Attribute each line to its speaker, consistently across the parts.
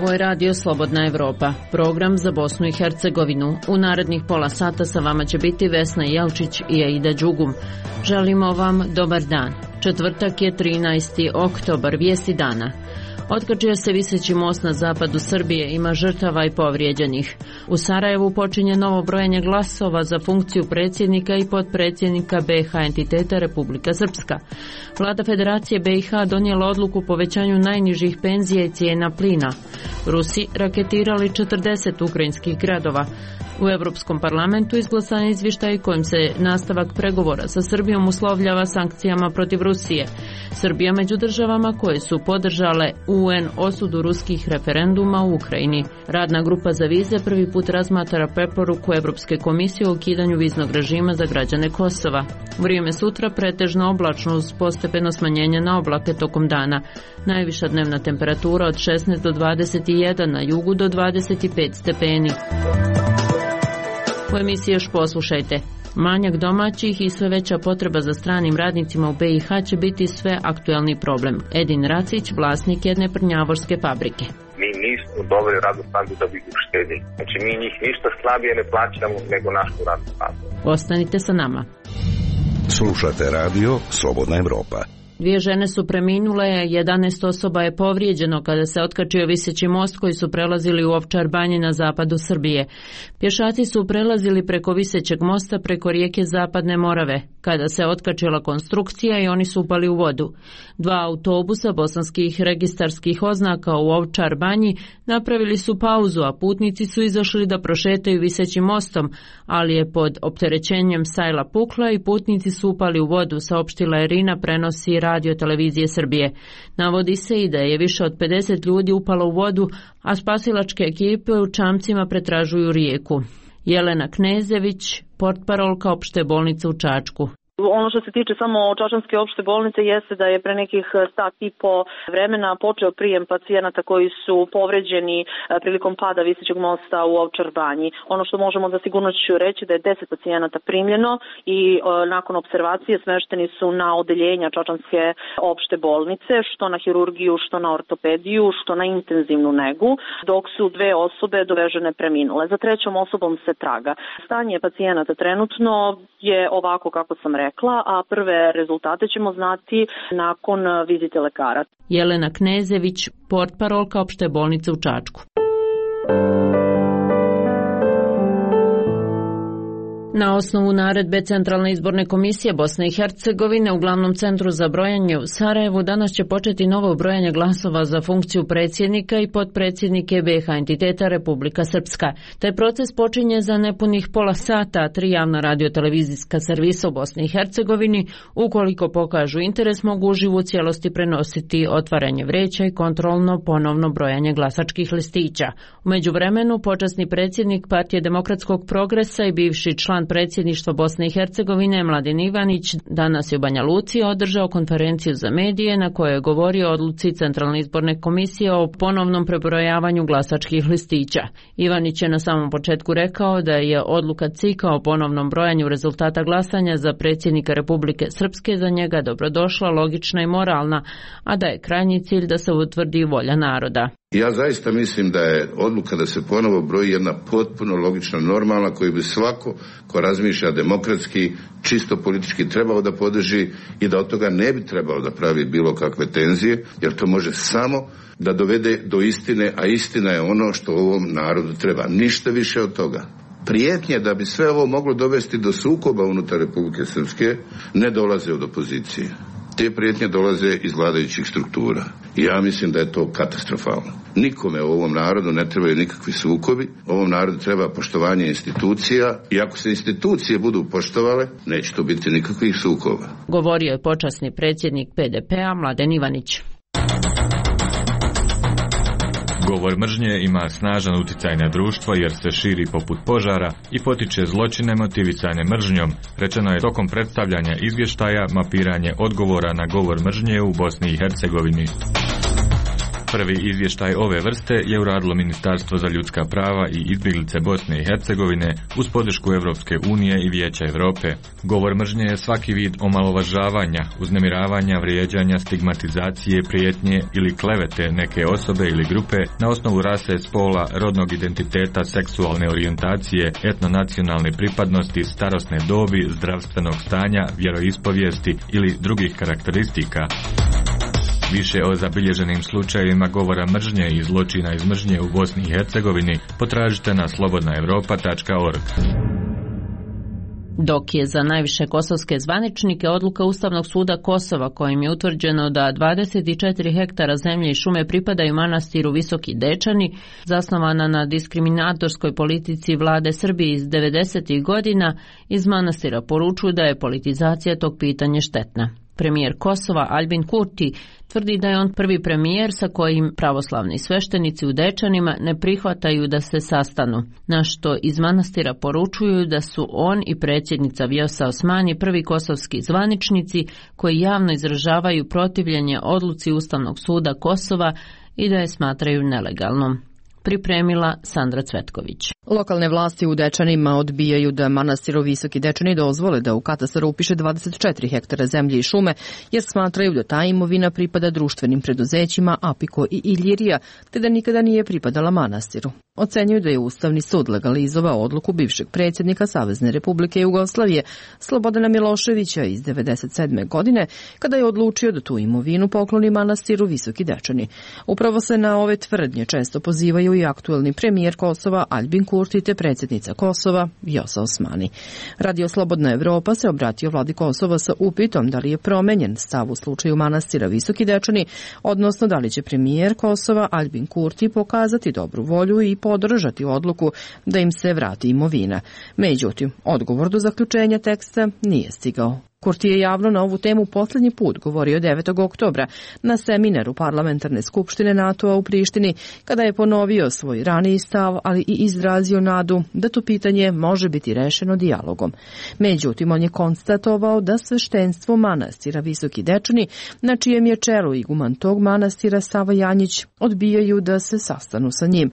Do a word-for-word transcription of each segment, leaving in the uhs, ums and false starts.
Speaker 1: Ovo je radio Slobodna Evropa, program za Bosnu i Hercegovinu. U narednih pola sata sa vama će biti Vesna Jelčić i Aida Đugum. Želimo vam dobar dan. Četvrtak je trinaesti oktobar, vijesti dana. Otkačio se viseći most na zapadu Srbije, ima žrtava i povrijeđenih. U Sarajevu počinje novo brojanje glasova za funkciju predsjednika i potpredsjednika B i H entiteta Republika Srpska. Vlada Federacije B i H donijela odluku o povećanju najnižih penzija i cijena plina. Rusi raketirali četrdeset ukrajinskih gradova. U Europskom parlamentu izglasan je izvještaj kojim se nastavak pregovora sa Srbijom uslovljava sankcijama protiv Rusije. Srbija među državama koje su podržale U N osudu ruskih referenduma u Ukrajini. Radna grupa za vize prvi put razmatra preporuku Europske komisije o ukidanju viznog režima za građane Kosova. Vrijeme sutra pretežno oblačno uz postepeno smanjenje na oblake tokom dana. Najviša dnevna temperatura od šesnaest do dvadeset jedan, na jugu do dvadeset pet stepeni. U emisiji još poslušajte. Manjak domaćih i sve veća potreba za stranim radnicima u B i H će biti sve aktuelni problem. Edin Racić, vlasnik jedne prnjavorske fabrike.
Speaker 2: Mi nismo doveli radnu snagu da bi uštedili. Znači mi njih ništa slabije ne plaćamo nego našu radnu snagu.
Speaker 1: Ostanite sa nama.
Speaker 3: Slušate radio Slobodna Evropa.
Speaker 1: Dvije žene su preminule, jedanaest osoba je povrijeđeno kada se otkačio viseći most koji su prelazili u Ovčar Banji na zapadu Srbije. Pješaci su prelazili preko visećeg mosta preko rijeke Zapadne Morave, kada se otkačila konstrukcija i oni su upali u vodu. Dva autobusa bosanskih registarskih oznaka u Ovčar Banji napravili su pauzu, a putnici su izašli da prošetaju visećim mostom, ali je pod opterećenjem sajla pukla i putnici su upali u vodu, saopštila je Irina, prenosi Radio televizije Srbije. Navodi se i da je više od pedeset ljudi upalo u vodu, a spasilačke ekipe u čamcima pretražuju rijeku. Jelena Knezević, portparolka opšte bolnice u Čačku.
Speaker 4: Ono što se tiče samo Čačanske opšte bolnice jeste da je pre nekih sat i po vremena počeo prijem pacijenata koji su povređeni prilikom pada visećeg mosta u Ovčar Banji. Ono što možemo za sigurnošću reći da je deset pacijenata primljeno i e, nakon observacije smešteni su na odeljenja Čačanske opšte bolnice, što na hirurgiju, što na ortopediju, što na intenzivnu negu, dok su dve osobe dovežene preminule. Za trećom osobom se traga. Stanje pacijenata trenutno je ovako kako sam rekla, a prve rezultate ćemo znati nakon vizite lekara.
Speaker 1: Jelena Knezević, portparolka opšte bolnice u Čačku. Na osnovu naredbe Centralne izborne komisije Bosne i Hercegovine u glavnom centru za brojanje u Sarajevu danas će početi novo brojanje glasova za funkciju predsjednika i potpredsjednike B i H entiteta Republika Srpska. Taj proces počinje za nepunih pola sata, a tri javna radiotelevizijska servisa u Bosni i Hercegovini, ukoliko pokažu interes, mogu uživo u cijelosti prenositi otvaranje vreća i kontrolno ponovno brojanje glasačkih listića. U međuvremenu, počasni predsjednik Partije demokratskog progresa i bivši član predsjedništva Bosne i Hercegovine Mladen Ivanić danas je u Banja Luci održao konferenciju za medije na kojoj je govorio o odluci Centralne izborne komisije o ponovnom prebrojavanju glasačkih listića. Ivanić je na samom početku rekao da je odluka C I K-a o ponovnom brojanju rezultata glasanja za predsjednika Republike Srpske za njega dobrodošla, logična i moralna, a da je krajnji cilj da se utvrdi volja naroda.
Speaker 5: Ja zaista mislim da je odluka da se ponovo broji jedna potpuno logična, normalna, koju bi svako ko razmišlja demokratski, čisto politički trebao da podrži i da od toga ne bi trebalo da pravi bilo kakve tenzije, jer to može samo da dovede do istine, a istina je ono što ovom narodu treba. Ništa više od toga. Prijetnje da bi sve ovo moglo dovesti do sukoba unutar Republike Srpske ne dolaze od opozicije. Te prijetnje dolaze iz vladajućih struktura. I ja mislim da je to katastrofalno. Nikome u ovom narodu ne trebaju nikakvi sukobi. Ovom narodu treba poštovanje institucija i ako se institucije budu poštovale, neće to biti nikakvih sukoba.
Speaker 1: Govorio je počasni predsjednik P D P-a Mladen Ivanić.
Speaker 6: Govor mržnje ima snažan utjecaj na društvo jer se širi poput požara i potiče zločine motivisane mržnjom, rečeno je tokom predstavljanja izvještaja Mapiranje odgovora na govor mržnje u Bosni i Hercegovini. Prvi izvještaj ove vrste je uradilo Ministarstvo za ljudska prava i izbjeglice Bosne i Hercegovine uz podršku Evropske unije i Vijeća Europe. Govor mržnje je svaki vid omalovažavanja, uznemiravanja, vrijeđanja, stigmatizacije, prijetnje ili klevete neke osobe ili grupe na osnovu rase, spola, rodnog identiteta, seksualne orijentacije, etnonacionalne pripadnosti, starosne dobi, zdravstvenog stanja, vjeroispovijesti ili drugih karakteristika. Više o zabilježenim slučajevima govora mržnje i zločina iz mržnje u Bosni i Hercegovini potražite na slobodna europa tačka org.
Speaker 1: Dok je za najviše kosovske zvaničnike odluka Ustavnog suda Kosova kojim je utvrđeno da dvadeset četiri hektara zemlje i šume pripadaju manastiru Visoki Dečani, zasnovana na diskriminatorskoj politici vlade Srbije iz devedesetih godina, iz manastira poručuju da je politizacija tog pitanja štetna. Premijer Kosova Albin Kurti tvrdi da je on prvi premijer sa kojim pravoslavni sveštenici u Dečanima ne prihvataju da se sastanu, na što iz manastira poručuju da su on i predsjednica Vjosa Osmani prvi kosovski zvaničnici koji javno izražavaju protivljenje odluci Ustavnog suda Kosova i da je smatraju nelegalnom. Pripremila Sandra Cvetković.
Speaker 7: Lokalne vlasti u Dečanima odbijaju da manastir Visoki Dečani dozvole da u katastar upiše dvadeset četiri hektara zemlje i šume, jer smatraju da ta imovina pripada društvenim preduzećima Apiko i Iljirija, te da nikada nije pripadala manastiru. Ocenjuju da je Ustavni sud legalizovao odluku bivšeg predsjednika Savezne Republike Jugoslavije Slobodana Miloševića iz devedeset sedme godine, kada je odlučio da tu imovinu pokloni manastiru Visoki Dečani. Upravo se na ove tvrdnje često pozivaju i aktuelni premijer Kosova Albin Kurti te predsjednica Kosova Vjosa Osmani. Radio Slobodna Evropa se obratio vladi Kosova sa upitom da li je promenjen stav u slučaju manastira Visoki Dečani, odnosno da li će premijer Kosova Albin Kurti pokazati dobru volju i podržati odluku da im se vrati imovina. Međutim, odgovor do zaključenja teksta nije stigao. Kurti je javno na ovu temu posljednji put govorio devetog oktobra na seminaru Parlamentarne skupštine NATO-a u Prištini, kada je ponovio svoj raniji stav, ali i izrazio nadu da to pitanje može biti rešeno dijalogom. Međutim, on je konstatovao da sveštenstvo manastira Visoki Dečani, na čijem je čelu iguman tog manastira Sava Janjić, odbijaju da se sastanu sa njim.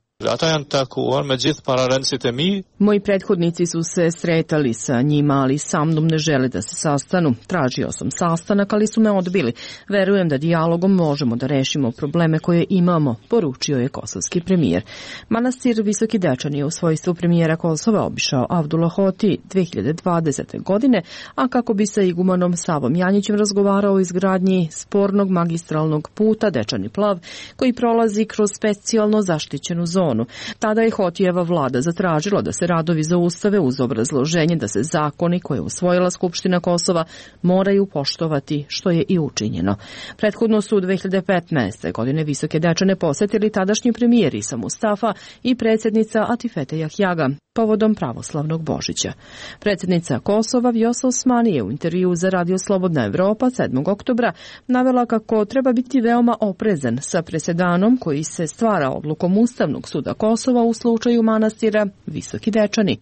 Speaker 7: Moji prethodnici su se sretali sa njima, ali sa mnom ne žele da se sastanu. Tražio sam sastanak, ali su me odbili. Verujem da dijalogom možemo da rešimo probleme koje imamo, poručio je kosovski premijer. Manastir Visoki Dečani je u svojstvu premijera Kosova obišao Avdullah Hoti dve hiljade dvadesete. godine, a kako bi sa igumanom Savom Janjićem razgovarao o izgradnji spornog magistralnog puta Dečani Plav, koji prolazi kroz specijalno zaštićenu zonu. Tada je Hotijeva vlada zatražila da se radovi zaustave uz obrazloženje da se zakoni koje je usvojila Skupština Kosova moraju poštovati, što je i učinjeno. Prethodno su u dve hiljade petnaeste. godine Visoke Dečane posetili tadašnji premijer Isa Mustafa i predsjednica Atifete Jahjaga povodom pravoslavnog Božića. Predsjednica Kosova Vjosa Osmani je u intervju za Radio Slobodna Evropa sedmog oktobra navela kako treba biti veoma oprezan sa presedanom koji se stvara odlukom Ustavnog suda Kosova u slučaju manastira Visoki Dečani.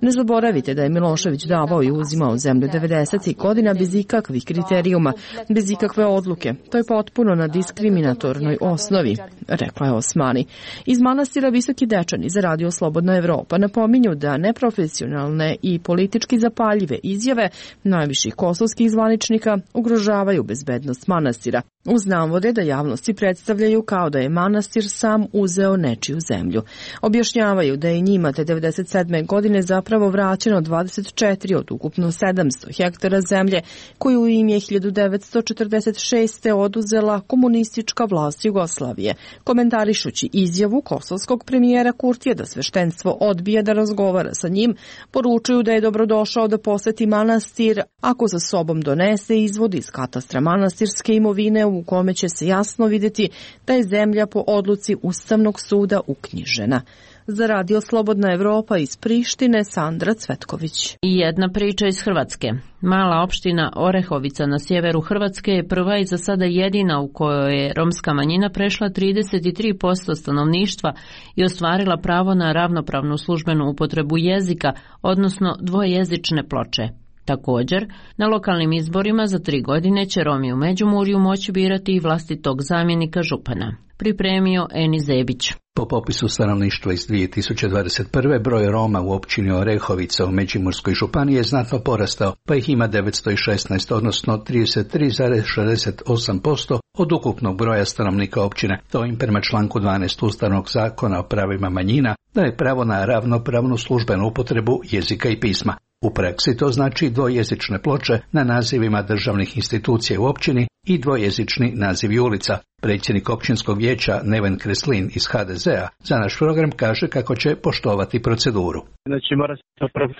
Speaker 7: Ne zaboravite da je Milošević davao i uzimao zemlju devedesetih. godina bez ikakvih kriterijuma, bez ikakve odluke. To je potpuno na diskriminatornoj osnovi, rekla je Osmani. Iz manastira Visoki Dečani za Radio Slobodna Evropa napominju da neprofesionalne i politički zapaljive izjave najviših kosovskih zvaničnika ugrožavaju bezbednost manastira. Uz navode da javnosti predstavljaju kao da je manastir sam uzeo nečiju zemlju. Objašnjavaju da je njima te devedeset sedme. godine zapravo vraćeno dvadeset četiri od ukupno sedamsto hektara zemlje koju im je hiljadu devetsto četrdeset šeste. oduzela komunistička vlast Jugoslavije. Komentarišući izjavu kosovskog premijera Kurtija da sveštenstvo odbija da razgovara sa njim, poručuju da je dobrodošao da poseti manastir ako za sobom donese izvod iz katastra manastirske imovine u kome će se jasno vidjeti da je zemlja po odluci Ustavnog suda uknjižena. Za Radio Slobodna Evropa iz Prištine, Sandra Cvetković.
Speaker 1: I jedna priča iz Hrvatske. Mala opština Orehovica na sjeveru Hrvatske je prva i za sada jedina u kojoj je romska manjina prešla trideset tri posto stanovništva i ostvarila pravo na ravnopravnu službenu upotrebu jezika, odnosno dvojezične ploče. Također, na lokalnim izborima za tri godine će Romi u Međimurju moći birati i vlastitog zamjenika župana. Pripremio Eni Zebić.
Speaker 8: Po popisu stanovništva iz dvije tisuće dvadeset prve. broj Roma u općini Orehovica u Međimurskoj županiji je znatno porastao, pa ih ima devetsto šesnaest, odnosno trideset tri zarez šezdeset osam posto od ukupnog broja stanovnika općine. To im prema članku dvanaest Ustavnog zakona o pravima manjina daje pravo na ravnopravnu službenu upotrebu jezika i pisma. U praksi to znači dvojezične ploče na nazivima državnih institucija u općini i dvojezični nazivi ulica. Predsjednik općinskog vijeća Neven Kreslin iz ha de zea za naš program kaže kako će poštovati proceduru.
Speaker 9: Znači mora se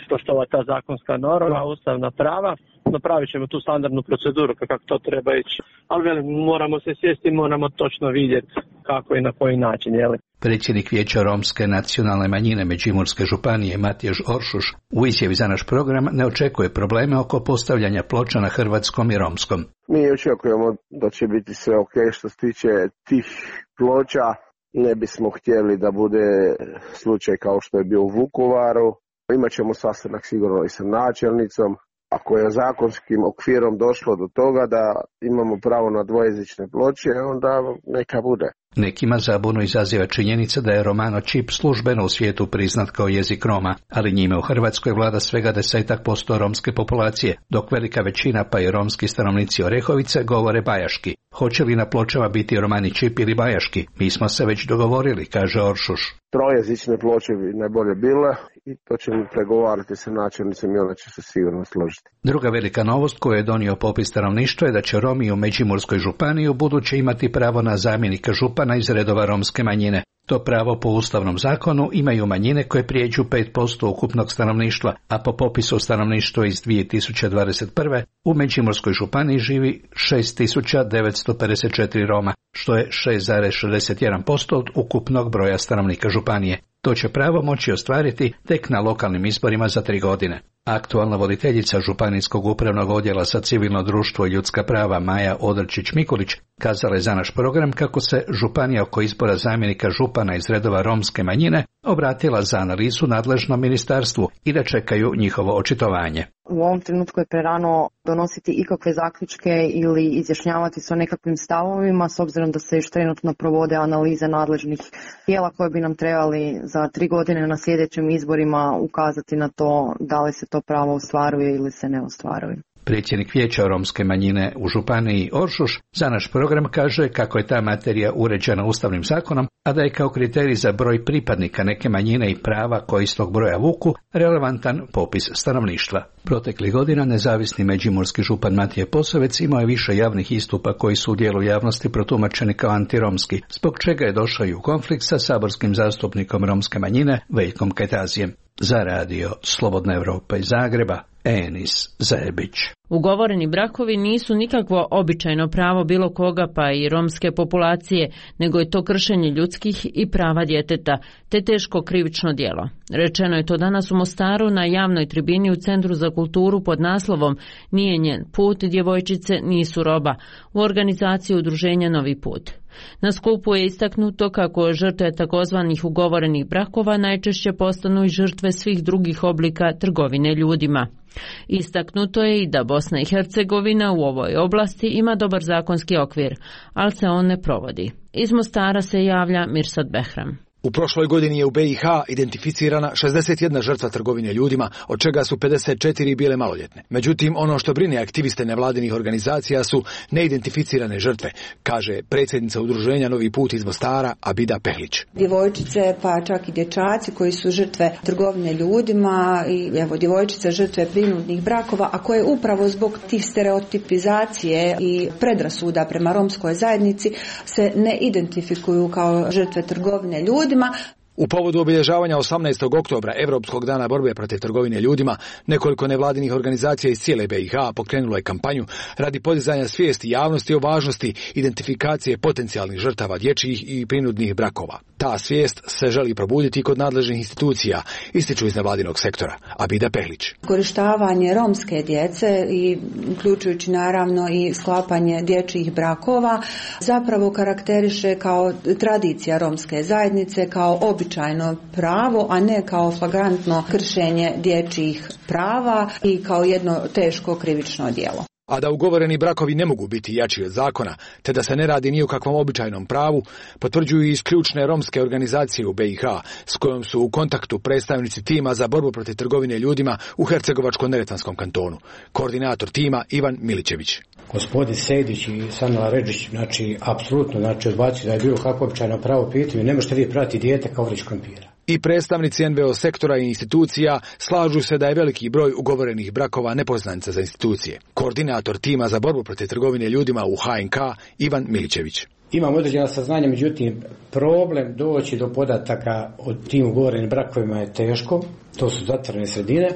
Speaker 9: poštovati ta zakonska norma, ustavna prava, napravit ćemo tu standardnu proceduru kako to treba ići. Ali velim, moramo se sjesti, moramo točno vidjeti kako i na koji način. Jeli?
Speaker 8: Predsjednik vijeća romske nacionalne manjine Međimurske županije Matjaž Oršuš u izjavi za naš program ne očekuje probleme oko postavljanja ploča na hrvatskom i romskom.
Speaker 10: Mi očekujemo da će biti sve ok što se tiče tih ploča. Ne bismo htjeli da bude slučaj kao što je bio u Vukovaru. Imaćemo sastanak sigurno i sa načelnicom. Ako je zakonskim okvirom došlo do toga da imamo pravo na dvojezične ploče, onda neka bude.
Speaker 8: Nekima zabunu izaziva činjenica da je romano čip službeno u svijetu priznat kao jezik Roma, ali njime u Hrvatskoj vlada svega desetak posto romske populacije, dok velika većina pa i romski stanovnici Orehovice govore bajaški. Hoće li na pločama biti romani čip ili bajaški? Mi smo se već dogovorili, kaže Oršuš.
Speaker 10: Trojezične ploče bi najbolje bile i to ćemo pregovarati sa načelnicom i ona će se sigurno složiti.
Speaker 8: Druga velika novost koju je donio popis stanovništva je da će Romi u Međimurskoj županiji u buduće imati pravo na zamjenika župana iz redova romske manjine. To pravo po ustavnom zakonu imaju manjine koje prijeđu pet posto ukupnog stanovništva, a po popisu stanovništva iz dvije tisuće dvadeset prve. u Međimurskoj županiji živi šest tisuća devetsto pedeset četiri Roma, što je šest zarez šezdeset jedan posto od ukupnog broja stanovnika županije. To će pravo moći ostvariti tek na lokalnim izborima za tri godine. Aktualna voditeljica Županijskog upravnog odjela za civilno društvo i ljudska prava Maja Odrčić-Mikulić kazala je za naš program kako se županija oko izbora zamjenika župana iz redova romske manjine obratila za analizu nadležnom ministarstvu i da čekaju njihovo očitovanje.
Speaker 11: U ovom trenutku je prerano donositi ikakve zaključke ili izjašnjavati se o nekakvim stavovima, s obzirom da se još trenutno provode analize nadležnih tijela koje bi nam trebali za tri godine na sljedećim izborima ukazati na to da li se to pravo ostvaruje ili se ne ostvaruje.
Speaker 8: Predsjednik vijeća romske manjine u županiji Oršuš za naš program kaže kako je ta materija uređena ustavnim zakonom, a da je kao kriterij za broj pripadnika neke manjine i prava koji iz tog broja vuku relevantan popis stanovništva. Proteklih godina nezavisni međimurski župan Matije Posavec imao je više javnih istupa koji su u dijelu javnosti protumačeni kao antiromski, zbog čega je došao i u konflikt sa saborskim zastupnikom romske manjine Veljkom Kajtazijem. Za radio Slobodna Evropa iz Zagreba, Enis Zebić.
Speaker 1: Ugovoreni brakovi nisu nikakvo običajno pravo bilo koga pa i romske populacije, nego je to kršenje ljudskih i prava djeteta, te teško krivično djelo. Rečeno je to danas u Mostaru na javnoj tribini u Centru za kulturu pod naslovom Nije njen put, djevojčice nisu roba, u organizaciji udruženja Novi put. Na skupu je istaknuto kako žrtve takozvanih ugovorenih brakova najčešće postanu i žrtve svih drugih oblika trgovine ljudima. Istaknuto je i da Bosna i Hercegovina u ovoj oblasti ima dobar zakonski okvir, ali se on ne provodi. Iz Mostara se javlja Mirsad Behram.
Speaker 12: U prošloj godini je u be i ha identificirana šezdeset jedna žrtva trgovine ljudima, od čega su pedeset četiri bile maloljetne. Međutim, ono što brine aktiviste nevladinih organizacija su neidentificirane žrtve, kaže predsjednica udruženja Novi put iz Mostara Abida Pehlić.
Speaker 13: Djevojčice, pa čak i dječaci koji su žrtve trgovine ljudima i evo djevojčice žrtve prinudnih brakova, a koje upravo zbog tih stereotipizacije i predrasuda prema romskoj zajednici se ne identifikuju kao žrtve trgovine ljudima.
Speaker 12: U povodu obilježavanja osamnaestog oktobra, Europskog dana borbe protiv trgovine ljudima, nekoliko nevladinih organizacija iz cijele be i ha pokrenulo je kampanju radi podizanja svijesti javnosti o važnosti identifikacije potencijalnih žrtava dječjih i prinudnih brakova. Ta svijest se želi probuditi kod nadležnih institucija, ističu iz nevladinog sektora. Abida Pehlić.
Speaker 13: Korištavanje romske djece i uključujući naravno i sklapanje dječjih brakova zapravo karakteriše kao tradicija romske zajednice, kao običajno pravo, a ne kao flagrantno kršenje dječjih prava i kao jedno teško krivično djelo.
Speaker 12: A da ugovoreni brakovi ne mogu biti jači od zakona, te da se ne radi ni o kakvom običajnom pravu, potvrđuju i iz ključne romske organizacije u B i H, s kojom su u kontaktu predstavnici tima za borbu protiv trgovine ljudima u Hercegovačko-neretvanskom kantonu. Koordinator tima Ivan Milićević.
Speaker 14: Gospodin Sejdić i Sanela Ređić, znači, apsolutno, znači, odbacuju da je bilo kako običajno pravo pitanje, ne možete vi prati dijete kao vrić krompira.
Speaker 12: I predstavnici N V O sektora i institucija slažu se da je veliki broj ugovorenih brakova nepoznanica za institucije. Koordinator tima za borbu protiv trgovine ljudima u H N K Ivan Milićević.
Speaker 14: Imamo određena saznanja, međutim, problem doći do podataka o tim ugovorenim brakovima je teško, to su zatvorene sredine.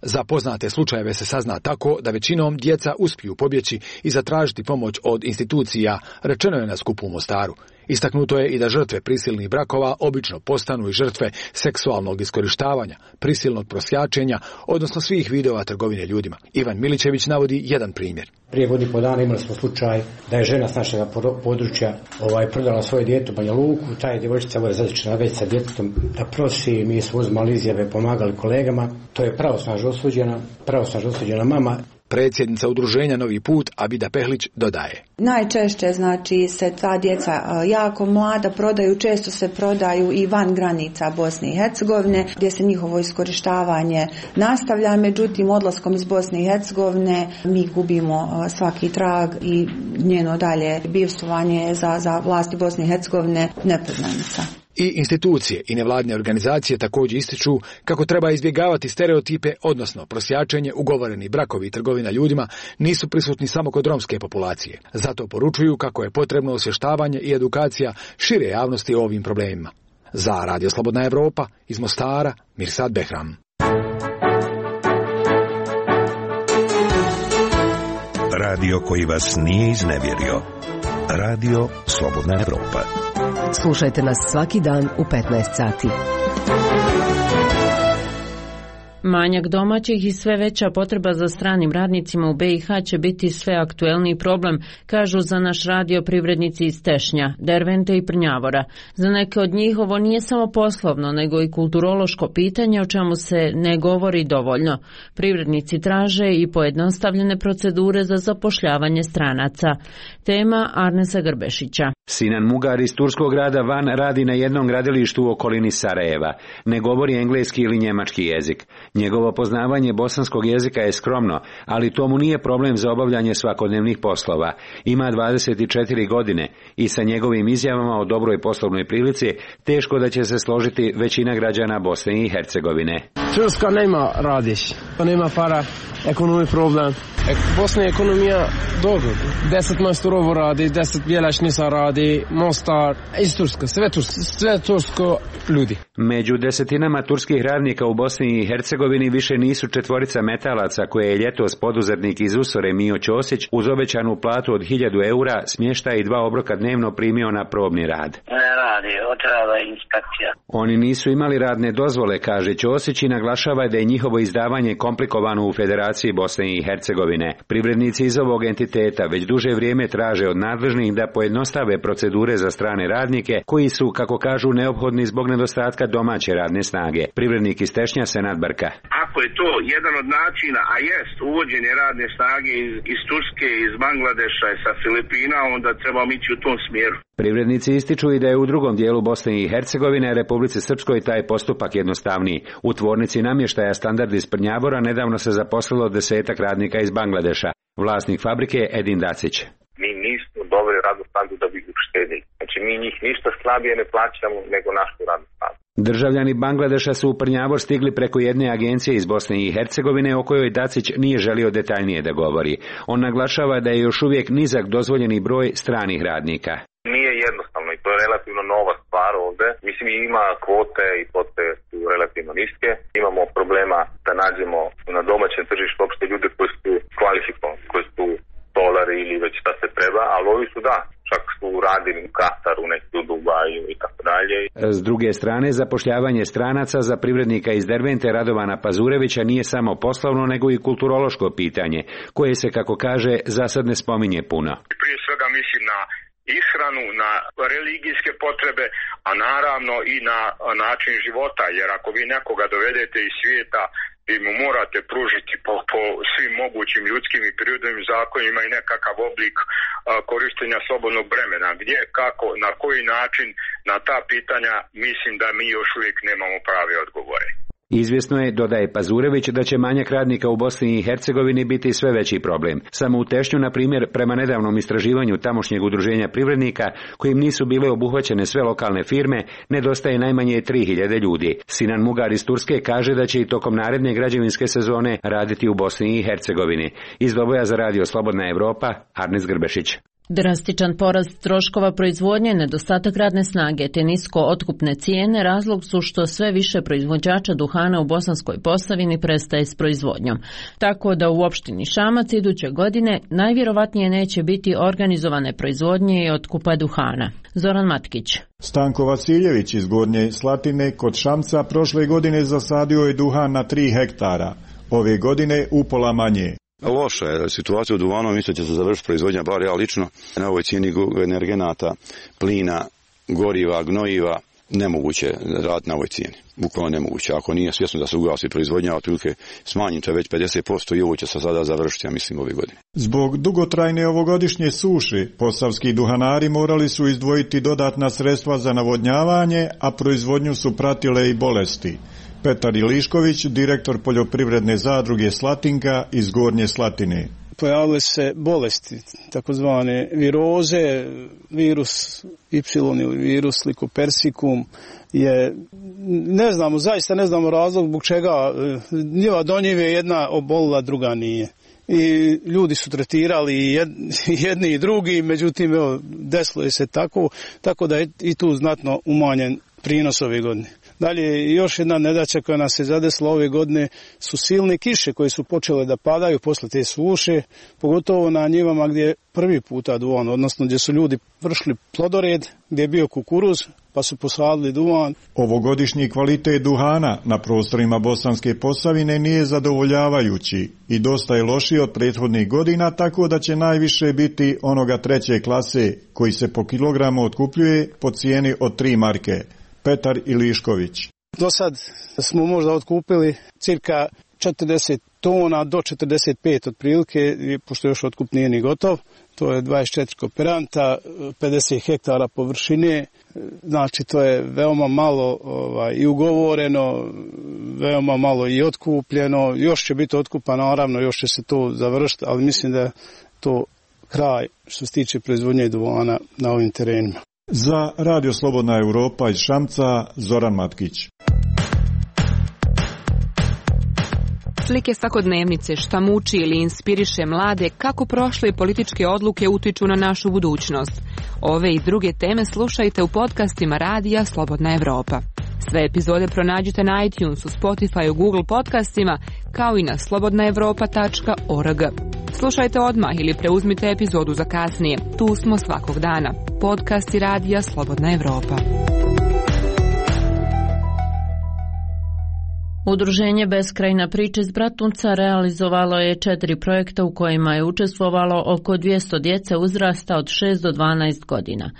Speaker 12: Za poznate slučajeve se sazna tako da većinom djeca uspiju pobjeći i zatražiti pomoć od institucija, rečeno je na skupu u Mostaru. Istaknuto je i da žrtve prisilnih brakova obično postanu i žrtve seksualnog iskorištavanja, prisilnog prosjačenja, odnosno svih vidova trgovine ljudima. Ivan Milićević navodi jedan primjer.
Speaker 14: Prije godinu i pol dana imali smo slučaj da je žena s našeg područja ovaj, prodala svoje dijete u Banja Luku, ta je djevojčica ovo je zadečena već sa djetetom da prosi, mi smo uzmali izjave, pomagali kolegama, to je pravosnažno osuđena, pravosnažno osuđena mama.
Speaker 12: Predsjednica udruženja Novi put Abida Pehlić dodaje.
Speaker 13: Najčešće znači se ta djeca jako mlada prodaju, često se prodaju i van granica Bosne i Hercegovine gdje se njihovo iskorištavanje nastavlja, međutim odlaskom iz Bosne i Hercegovine mi gubimo svaki trag i njeno dalje bivstvovanje za, za vlasti Bosne i Hercegovine nepoznanica.
Speaker 12: I institucije i nevladine organizacije također ističu kako treba izbjegavati stereotipe, odnosno prosjačenje, ugovoreni brakovi i trgovina ljudima nisu prisutni samo kod romske populacije. Zato poručuju kako je potrebno osvještavanje i edukacija šire javnosti o ovim problemima. Za Radio Slobodna Evropa iz Mostara, Mirsad Behram.
Speaker 3: Radio koji vas nije iznevjerio. Radio Slobodna Evropa.
Speaker 15: Slušajte nas svaki dan u petnaest sati.
Speaker 1: Manjak domaćih i sve veća potreba za stranim radnicima u B i H će biti sve aktuelniji problem, kažu za naš radio privrednici iz Tešnja, Dervente i Prnjavora. Za neke od njih ovo nije samo poslovno, nego i kulturološko pitanje o čemu se ne govori dovoljno. Privrednici traže i pojednostavljene procedure za zapošljavanje stranaca. Tema Arnesa Grbešića.
Speaker 16: Sinan Mugar iz turskog grada Van radi na jednom gradilištu u okolini Sarajeva. Ne govori engleski ili njemački jezik. Njegovo poznavanje bosanskog jezika je skromno, ali to mu nije problem za obavljanje svakodnevnih poslova. Ima dvadeset četiri godine i sa njegovim izjavama o dobroj poslovnoj prilici teško da će se složiti većina građana Bosne i Hercegovine.
Speaker 17: Turska nema radiš, nema para, ekonomski problem. Bosna je ekonomija dobro. Deset majstorovo radi, deset bjelašnica radi, Mostar, iz Turska, sve tursko, sve tursko ljudi.
Speaker 16: Među desetinama turskih radnika u Bosni i Hercegovini više nisu četvorica metalaca koje je ljetos poduzetnik iz Usore Mio Ćosić uz obećanu platu od hiljadu eura smještaj i dva obroka dnevno primio na probni rad.
Speaker 18: Ne radi, otrava inspekcija.
Speaker 16: Oni nisu imali radne dozvole, kaže Ćosić i naglašava da je njihovo izdavanje komplikovano u Federaciji Bosne i Hercegovine. Privrednici iz ovog entiteta već duže vrijeme traže od nadležnih da pojednostave procedure za strane radnike koji su, kako kažu, neophodni zbog nedostatka domaće radne snage. Privrednik iz Tešnja Senad Brka.
Speaker 19: Ako je to jedan od načina, a jest uvođenje radne snage iz, iz Turske, iz Bangladeša i sa Filipina, onda trebamo ići u tom smjeru.
Speaker 16: Privrednici ističu i da je u drugom dijelu Bosne i Hercegovine, Republici Srpskoj, taj postupak jednostavniji. U tvornici namještaja Standard iz Prnjavora nedavno se zaposlilo desetak radnika iz Bangladeša. Vlasnik fabrike Edin Dacić.
Speaker 2: Mi nismo doveli radnu snagu da bi uštedili. Znači mi njih ništa slabije ne plaćamo nego našu radnu snagu.
Speaker 16: Državljani Bangladeša su u Prnjavor stigli preko jedne agencije iz Bosne i Hercegovine o kojoj Dacić nije želio detaljnije da govori. On naglašava da je još uvijek nizak dozvoljeni broj stranih radnika.
Speaker 2: Nije jednostavno i to je relativno nova stvar ovdje. Mislim, ima kvote i kvote su relativno niske. Imamo problema da nađemo na domaćem tržištu uopšte ljude koji su kvalifikovani, koji su stolari ili već šta se treba, ali ovi su da, čak su radili u Kataru, neki u Dubaju i tako dalje.
Speaker 16: S druge strane, zapošljavanje stranaca za privrednika iz Dervente Radovana Pazurevića nije samo poslovno, nego i kulturološko pitanje, koje se, kako kaže, za sad ne spominje puno.
Speaker 20: Prije svega mislim na ishranu, na religijske potrebe, a naravno i na način života, jer ako vi nekoga dovedete iz svijeta, vi mu morate pružiti po, po svim mogućim ljudskim i prirodnim zakonima i nekakav oblik a, korištenja slobodnog vremena. Gdje, kako, na koji način, na ta pitanja mislim da mi još uvijek nemamo prave odgovore.
Speaker 16: Izvjesno je, dodaje Pazurević, da će manjak radnika u Bosni i Hercegovini biti sve veći problem. Samo u Tešnju, na primjer, prema nedavnom istraživanju tamošnjeg udruženja privrednika, kojim nisu bile obuhvaćene sve lokalne firme, nedostaje najmanje tri hiljade ljudi. Sinan Mugar iz Turske kaže da će i tokom naredne građevinske sezone raditi u Bosni i Hercegovini. Iz Doboja za Radio Slobodna Evropa, Arnis Grbešić.
Speaker 1: Drastičan porast troškova proizvodnje, nedostatak radne snage te nisko otkupne cijene razlog su što sve više proizvođača duhana u Bosanskoj Posavini prestaje s proizvodnjom. Tako da u opštini Šamac iduće godine najvjerovatnije neće biti organizovane proizvodnje i otkupa duhana. Zoran Matkić.
Speaker 21: Stanko Vasiljević iz Gornje Slatine kod Šamca prošle godine zasadio je duhan na tri hektara, ove godine upola manje.
Speaker 22: Loša je situacija u duvanu, mislim da će se završiti proizvodnja, bar ja lično, na ovoj cijeni energenata, plina, goriva, gnojiva, nemoguće raditi na ovoj cijeni. Bukvalno nemoguće. Ako nije svjesno da se ugasi proizvodnja, otprilike smanjite već pedeset posto i ovo će se sada završiti, ja mislim, ove godine.
Speaker 21: Zbog dugotrajne ovogodišnje suše, posavski duhanari morali su izdvojiti dodatna sredstva za navodnjavanje, a proizvodnju su pratile i bolesti. Petar Ilišković, direktor poljoprivredne zadruge Slatinka iz Gornje Slatine.
Speaker 23: Pojavile se bolesti, takozvane viroze, virus Y ili virus Lycopersicum je, ne znamo, zaista ne znamo razlog zbog čega njiva do njive jedna obolila, druga nije. I ljudi su tretirali jedni i drugi, međutim, evo, desilo je se tako, tako da je i tu znatno umanjen prinos ove godine. Dalje, još jedna nedaća koja nas je zadesila ove godine su silne kiše koje su počele da padaju posle te suše, pogotovo na njivama gdje je prvi puta duvan, odnosno gdje su ljudi vršili plodored, gdje je bio kukuruz, pa su posadili duvan.
Speaker 21: Ovogodišnji kvalitet duhana na prostorima Bosanske Posavine nije zadovoljavajući i dosta je lošiji od prethodnih godina, tako da će najviše biti onoga treće klase koji se po kilogramu otkupljuje po cijeni od tri marke. Petar Ilišković.
Speaker 23: Do sad smo možda otkupili cirka četrdeset tona do četrdeset pet otprilike, pošto još otkup nije ni gotov. To je dvadeset četiri kooperanta, pedeset hektara površine, znači to je veoma malo ovaj, i ugovoreno, veoma malo i otkupljeno. Još će biti otkupa, naravno, još će se to završiti, ali mislim da je to kraj što se tiče proizvodnje duvana na ovim terenima.
Speaker 21: Za Radio Slobodna Evropa iz Šamca, Zoran Matkić.
Speaker 24: Slike svakodnevnice, šta muči ili inspiriše mlade, kako prošle političke odluke utiču na našu budućnost. Ove i druge teme slušajte u podcastima Radija Slobodna Evropa. Sve epizode pronađite na iTunesu, Spotify, Google podcastima, kao i na slobodna evropa tačka org. Slušajte odmah ili preuzmite epizodu za kasnije. Tu smo svakog dana. Podcasti Radija Slobodna Evropa.
Speaker 1: Udruženje Beskrajna priča iz Bratunca realizovalo je četiri projekta u kojima je učestvovalo oko dvjesto djece uzrasta od šest do dvanaest godina.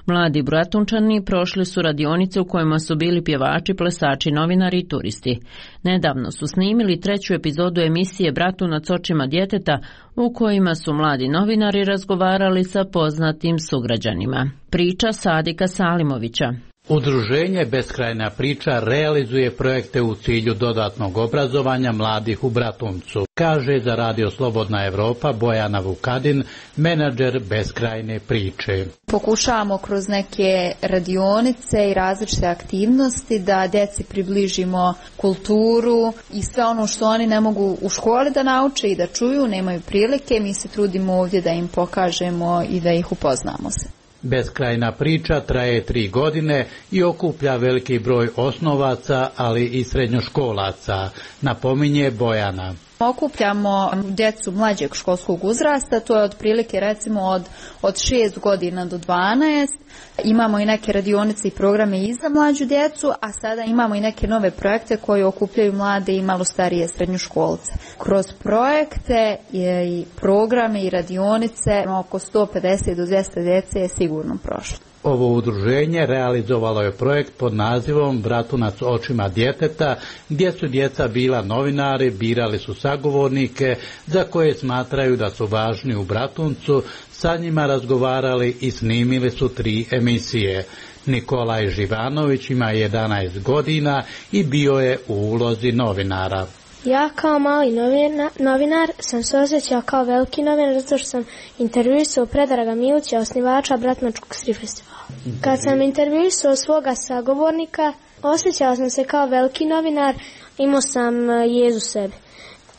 Speaker 1: Mladi Bratunčani prošli su radionice u kojima su bili pjevači, plesači, novinari i turisti. Nedavno su snimili treću epizodu emisije Bratunac očima djeteta u kojima su mladi novinari razgovarali sa poznatim sugrađanima. Priča Sadika Salimovića.
Speaker 25: Udruženje Beskrajna priča realizuje projekte u cilju dodatnog obrazovanja mladih u Bratuncu, kaže za Radio Slobodna Evropa Bojana Vukadin, menadžer Beskrajne priče.
Speaker 26: Pokušavamo kroz neke radionice i različite aktivnosti da djeci približimo kulturu i sve ono što oni ne mogu u školi da nauče i da čuju, nemaju prilike, mi se trudimo ovdje da im pokažemo i da ih upoznamo se.
Speaker 25: Beskrajna priča traje tri godine i okuplja veliki broj osnovaca, ali i srednjoškolaca, napominje Bojana.
Speaker 26: Okupljamo djecu mlađeg školskog uzrasta, to je otprilike recimo od, od šest godina do dvanaest. Imamo i neke radionice i programe i za mlađu djecu, a sada imamo i neke nove projekte koji okupljaju mlade i malo starije srednjoškolce. Kroz projekte i programe i radionice oko sto pedeset do dvjesto djece je sigurno prošlo.
Speaker 25: Ovo udruženje realizovalo je projekt pod nazivom Bratunac očima djeteta, gdje su djeca bila novinari, birali su sagovornike za koje smatraju da su važni u Bratuncu, sa njima razgovarali i snimili su tri emisije. Nikolaj Živanović ima jedanaest godina i bio je u ulozi novinara.
Speaker 4: Ja kao mali novina, novinar sam se osjećao kao veliki novinar zato što sam intervjuisao Predraga Milića, osnivača Bratunačkog strip festivala. Kad sam intervjuisao svoga sagovornika, osjećao sam se kao veliki novinar, imao sam jezu sebi.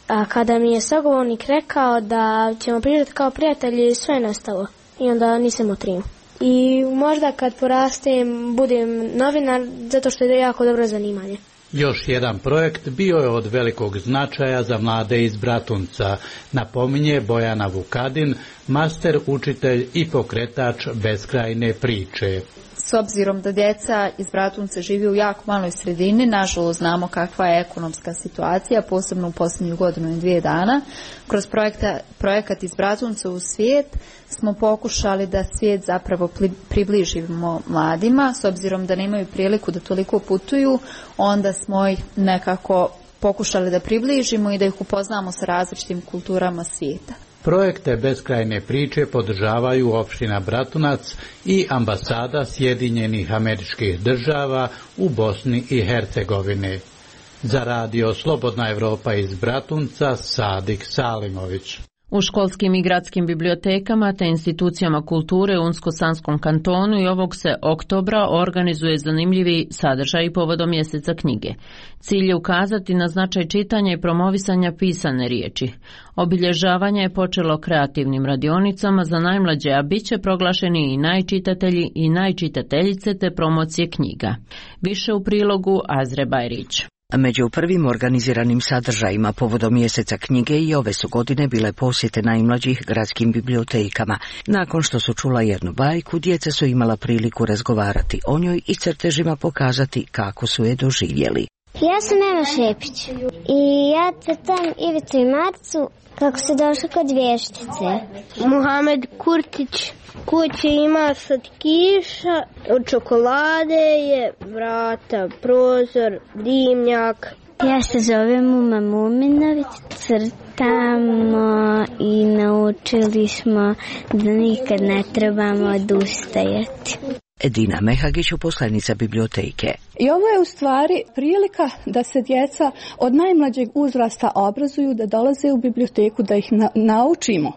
Speaker 4: A kada mi je sagovornik rekao da ćemo pričati kao prijatelji, sve je nestalo i onda nisam otrimao. I možda kad porastem budem novinar zato što je jako dobro zanimanje.
Speaker 25: Još jedan projekt bio je od velikog značaja za mlade iz Bratunca, napominje Bojana Vukadin, master učitelj i pokretač beskrajne priče.
Speaker 26: S obzirom da djeca iz Bratunca žive u jako maloj sredini, nažalost znamo kakva je ekonomska situacija, posebno u posljednju godinu i dvije dana. Kroz projekta, projekat iz Bratunca u svijet smo pokušali da svijet zapravo približimo mladima, s obzirom da nemaju priliku da toliko putuju, onda smo ih nekako pokušali da približimo i da ih upoznamo sa različitim kulturama svijeta.
Speaker 25: Projekte beskrajne priče podržavaju opština Bratunac i ambasada Sjedinjenih Američkih Država u Bosni i Hercegovini. Za radio Slobodna Evropa iz Bratunca, Sadik Salimović.
Speaker 1: U školskim i gradskim bibliotekama te institucijama kulture u Unsko-Sanskom kantonu i ovog se oktobra organizuje zanimljivi sadržaj povodom mjeseca knjige. Cilj je ukazati na značaj čitanja i promovisanja pisane riječi. Obilježavanje je počelo kreativnim radionicama za najmlađe, a bit će proglašeni i najčitatelji i najčitateljice te promocije knjiga. Više u prilogu Azre Bajrić.
Speaker 5: Među prvim organiziranim sadržajima povodom mjeseca knjige i ove su godine bile posjete najmlađih gradskim bibliotekama. Nakon što su čula jednu bajku, djeca su imala priliku razgovarati o njoj i crtežima pokazati kako su je doživjeli.
Speaker 6: Ja sam Ema Šepić i ja crtam Ivicu i Marcu kako se došlo kod vještice.
Speaker 7: Muhamed Kurtić. Kuće ima slatkiša, od čokolade je, vrata, prozor, dimnjak.
Speaker 6: Ja se zovem Uma Muminović, crtamo i naučili smo da nikad ne trebamo odustajati.
Speaker 5: Edina Mehagić, uposlenica biblioteke.
Speaker 9: I ovo je u stvari prilika da se djeca od najmlađeg uzrasta obrazuju, da dolaze u biblioteku, da ih na, naučimo,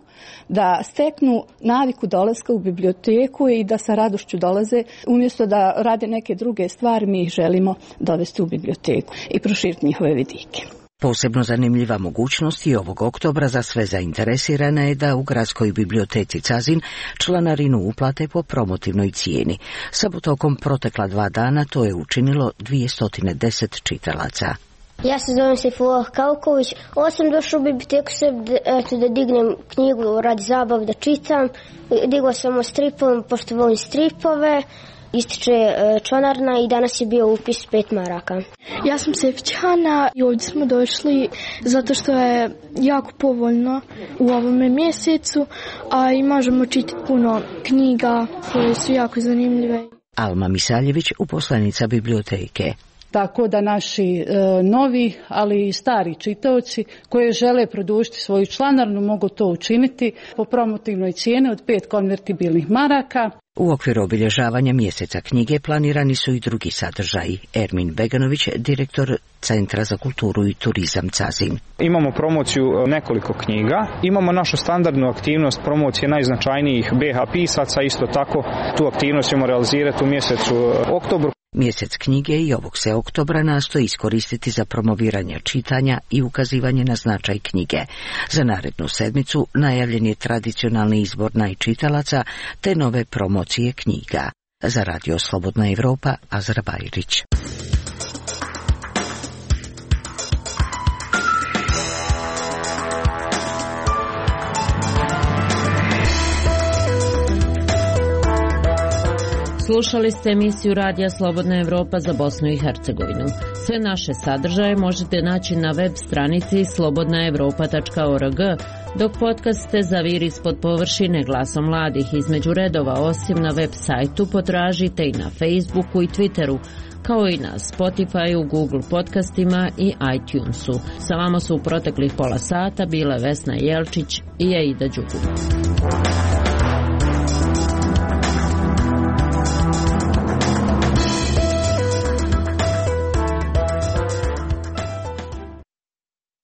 Speaker 9: da steknu naviku dolaska u biblioteku i da sa radošću dolaze, umjesto da rade neke druge stvari, mi ih želimo dovesti u biblioteku i proširiti njihove vidike.
Speaker 5: Posebno zanimljiva mogućnost i ovog oktobra za sve zainteresirane je da u gradskoj biblioteci Cazin članarinu uplate po promotivnoj cijeni. Samo tokom protekla dva dana to je učinilo dvjesto deset čitalaca.
Speaker 6: Ja se zovem Sejfullah Kauković. Osim došao u biblioteku se eto, da dignem knjigu radi zabav da čitam. Digla sam o stripovima pošto volim stripove. Ističe članarna i danas je bio upis pet maraka.
Speaker 7: Ja sam Sefić Hana i ovdje smo došli zato što je jako povoljno u ovome mjesecu, a i možemo čitati puno knjiga koje su jako zanimljive.
Speaker 5: Alma Misaljević, uposlenica biblioteke.
Speaker 9: Tako da naši e, novi, ali i stari čitaoci koji žele produžiti svoju članarnu mogu to učiniti po promotivnoj cijeni od pet konvertibilnih maraka.
Speaker 5: U okviru obilježavanja mjeseca knjige planirani su i drugi sadržaji. Ermin Beganović, direktor Centra za kulturu i turizam Cazin.
Speaker 10: Imamo promociju nekoliko knjiga, imamo našu standardnu aktivnost promocije najznačajnijih be ha pisaca, isto tako tu aktivnost ćemo realizirati u mjesecu oktobru.
Speaker 5: Mjesec knjige i ovog se oktobra nastoji iskoristiti za promoviranje čitanja i ukazivanje na značaj knjige. Za narednu sedmicu najavljen je tradicionalni izbor najčitalaca te nove promocije knjiga. Za radio Slobodna Evropa, Azra Bajrić.
Speaker 1: Slušali ste emisiju Radija Slobodna Evropa za Bosnu i Hercegovinu. Sve naše sadržaje možete naći na web stranici slobodna evropa tačka org, dok podcaste Zavir ispod površine glasom mladih između redova osim na web sajtu potražite i na Facebooku i Twitteru, kao i na Spotifyu, Google podcastima i iTunesu. Sa vama su u proteklih pola sata bile Vesna Jelčić i Aida Đugum.